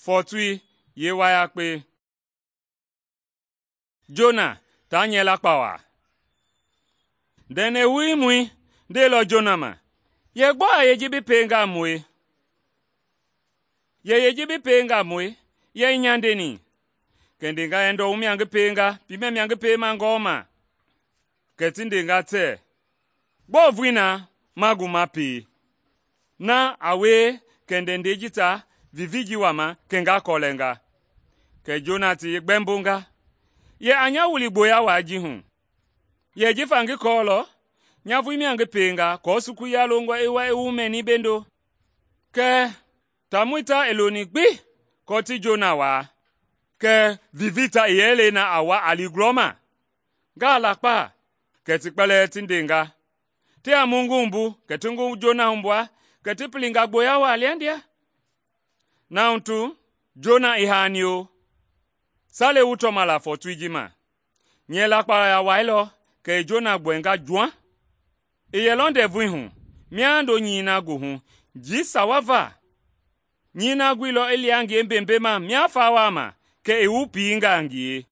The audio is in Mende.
Fɔɔtui yeewayakpe. Jona ta nyɛɛ kpawa. Ndɛndɛ wuimɔi ndeilɔ Jona ma, “Yɛ gbɔ a yee ji bi pienga mue? Yɛ yee ji bi pienga mue? Yɛ ii nyandeni?” Kɛ i ndenga yɛ, “Ndɔ wu mia ngi pienga, piimɛ mia ngi piema ngɔɔma.” Kɛ ti ndenga tɛɛ, “Gbɔɔ vulii na ma gu ma pie? Na a wie kɛ ndɛndɛi ji ta vivii ji wama kɛ nga kɔlɛnga.” Kɛ Jona ti gbɛmbonga, “Yɛ a nya wili gboya wai ji hu. Yɛ jifa ngi kɔɔlɔ nya vulii mia ngi pienga aako sukuluya longɔ i wa i wu mɛni bendo.” Kɛɛ taamɔi ta i loni gbi aako ti Jona waa, kɛɛ vivii ta i yɛ le na a wa a li gulɔma. Ngaa lakpa? Kɛ ti kpɛlɛɛ ti ndenga, “Ti a mu ngi wumbu kɛ ti ngi Jona hugbua kɛ ti pilinga gboya waa lia ndia?” Na hu tu, Jona i haani-o. Sale wu tɔma la fɔɔtui ji ma. Nyɛɛ lakpawa i wailɔ kɛ i Jona gbɔɛnga juaŋ. I yɛlɔ ndɛvui hu miando nyɛi na goohu njii sawa va. Nyɛi na guilɔ i lia ngie mbembema mia fawa ma kɛ i wu piinga a ngie.